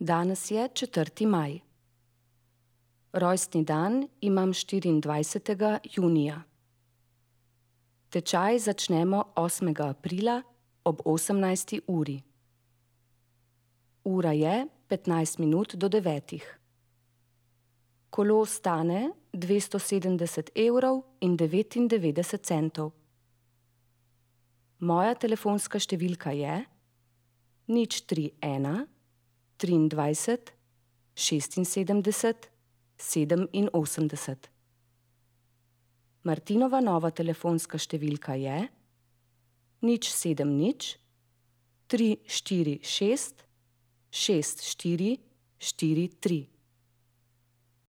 Danes je 4. maj. Rojstni dan imam 24. junija. Tečaj začnemo 8. aprila ob 18. uri. Ura je 15 minut do 9. Kolo stane 270,99 €. Moja telefonska številka je 031 23 76 87. Martinova nova telefonska številka je 070 346 6443.